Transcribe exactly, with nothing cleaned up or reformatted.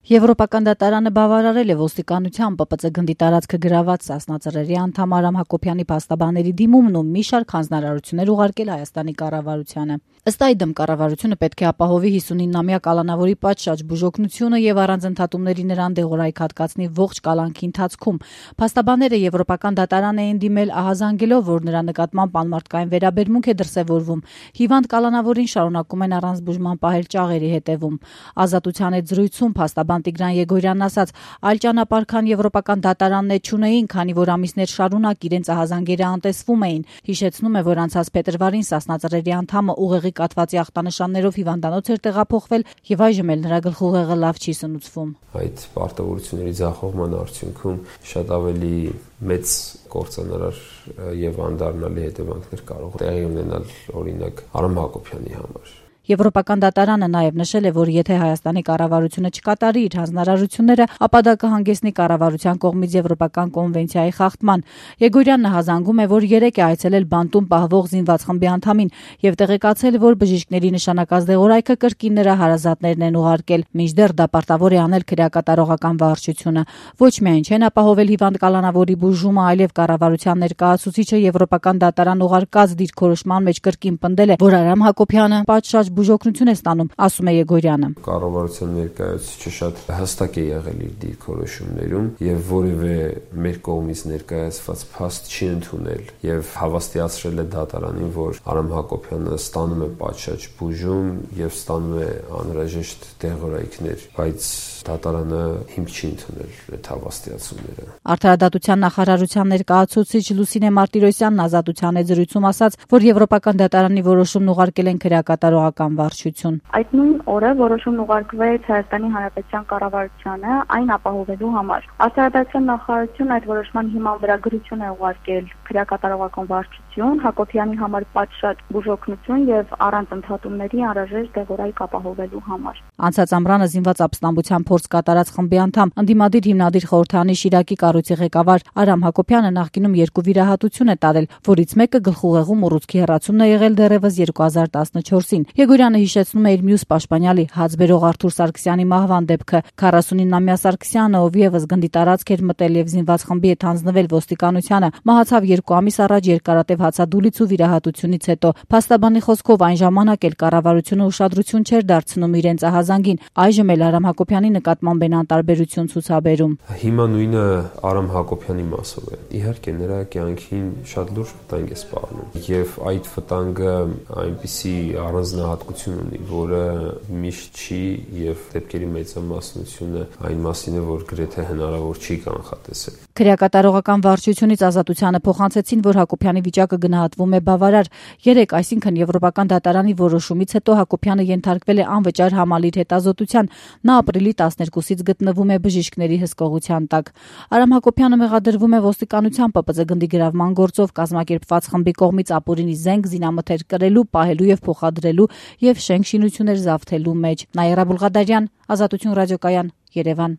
Եվրոպական դատարանը բավարարել է ոստիկանության Պ Պ Ծ գնդի տարածքը գրաված Սասնա Ծռերի անդամ Արամ Հակոբյանի փաստաբանների դիմումն ու մի շարք հանձնարարություններ ուղարկել Հայաստանի կառավարությանը։ Ըստ այդմ կառավարությունը պետք է ապահովի հիսունինամյա կալանավորի պատշաճ բուժօգնությունը եւ առանց ընդհատումների նրան դեղորայք հատկացնի ողջ կալանքի ընթացքում։ Փաստաբանները Եվրոպական դատարան էին դիմել ահազանգելով, որ նրա նկատմամբ անմարդկային վերաբերմունք է դրսևորվում։ Հիվանդ կալանավորին շարունակում են առանց բուժման պահել ճաղերի հետևում։ Ազատության հետ զրույցում փաստաբան Տիգրան Եգորյանն ասաց, այլ ճանապարհ քան Եվրոպական դատարանն է չունեին, քանի որ ամիսներ շարունակ իրենց ահազանգերը անտեսվում էին։ Հիշեցնում է, որ անցած փետրվարին Սասնա Ծռերի անդամը ուղեղի կաթվածի ախտանշաններով հիվանդանոց էր տեղափոխվել եւ այժմ էլ նրա գլխուղեղը լավ չի սնուցվում։ Այդ պարտավորությունների ձախողման արդյունքում շատ ավելի մեծ կործանարար եւ անդառնալի հետևանքներ կարող տեղի ունենալ օրինակ Արամ Հակոբյանի համար։ Եվրոպական դատարանը նաև նշել է, որ եթե Հայաստանի կառավարությունը չկատարի իր հանձնարարությունները, ապա դա կհանգեցնի կառավարության կողմից Եվրոպական կոնվենցիայի խախտման։ Եգորյանն հազանգում է, որ երեկ է այցելել բանտում պահվող զինված խմբի անդամին եւ տեղեկացել, որ բժիշկների նշանակած դեղորայքը կրկին նրա հարազատներն են ուղարկել, մինչդեռ դա պարտավոր է անել քրեակատարողական վարչությունը։ Ոչ միայն չեն ապահովել հիվանդ կալանավորի բուժումը, այլև կառավարության ներկայացուցիչը Եվրոպական դատարան ուղարկած դիրքորոշման մեջ կրկին պնդել է, որ Արամ Հակոբյանը պատշաճ բուժօգնություն է ստանում, ասում է Եգորյանը։ Կառավարության ներկայացուցիչը շատ հստակ է եղել իր դիրքորոշումներում եւ որևէ մեր կողմից ներկայացված փաստ չի ընդունել եւ հավաստիացրել է դատարանին, որ Արամ Հակոբյանը ստանում է պատշաճ բուժում եւ ստանում է անհրաժեշտ դեղորայքներ, բայց դատարանը հիմք չի ընդունել այդ հավաստիացումները։ Արդարադատության նախարարության ներկայացուցիչ Լուսինե Մարտիրոսյանն Ազատության հետ զրույցում ասաց, որ Եվրոպական դատարանի որոշումն ուղարկել են քրեակատարողական վարչություն։ Այդ նույն օրը որոշումն ուղարկվեց Հայաստանի Հանրապետության կառավարությանը այն ապահովելու համար։ Արդարադատության նախարարությունը այդ որոշման հիման վրա գրություն է ուղարկել քրեակատարողական վարչություն Հակոբյանի համար պատշաճ բուժօգնություն եւ առանց ընդհատումների անհրաժեշտ դեղորայք ապահովելու համար։ Անցած ամռանը զինված ապստամբության փորձ կատարած խմբի անդամ ընդդիմադիր հիմնադիր խորհրդանի Շիրակի կառույցի ղեկավար Արամ Հակոբյանը նախկինում երկու վիրահատություն է տարել, որից մեկը գլխուղեղում ուռուցքի հեռացումն է եղել դեռևս երկու հազար տասնչորսին։ Եգորյանը հիշեցնում է իր մյուս պաշտպանյալի հացբերող Արթուր Սարգսյանի մահվան դեպքը։ քառասունինամյա Սարգսյանը, ով եւս գնդի տարածք էր մտել եւ զինված խմբի հետ հանձնվել ոստիկանությանը, մահացավ երկու ամիս առաջ երկարատև հացադուլից ու վիրահատությունից հետո։ Փաստաբանի խոսքով այն ժամանակ էլ կառավարությունը ուշադրություն չէր դարձնում իրենց ահազանգին, այժմ էլ Արամ Հակոբյանի նկատմամբ են անտարբերություն ցուցաբերում։ Հիմա նույնը Արամ Հակոբյանի մասով է։ Իհարկե նրա կյանքին շատ լուրջ վտանգ է սպառնում եւ այդ վտանգը այնպիսի առանձնահատկություն ունի, որը միշտ չի եւ դեպքերի մեծամասնությունը այն մասին է, որ գրեթե հնարավոր չի կանխատեսել։ Քրեակատարողական վարչությունից Ազատությանը փոխանցեցին, որ Հակոբյանի վիճակը գնահատվում է բավարար։ Երեք, այսինքն Եվրոպական դատարանի որոշումից հետո Հակոբյանը ենթարկվել է անվճար համալիր հետազոտության։ Նա ապրիլի տասներկուսից գտնվում է բժիշկների հսկողության տակ։ Արամ Հակոբյանը մեղադրվում է ոստիկանության Պ Պ Ծ գնդի գրավման գործով կազմակերպված խմբի կողմից ապօրինի զենք, զինամթեր կրելու, պահելու եւ փոխադրելու եւ շենք շինություններ զավթելու մեջ։ Նաիրա Բուլղադարյան, Ազատություն ռադիոկայան, Երևան։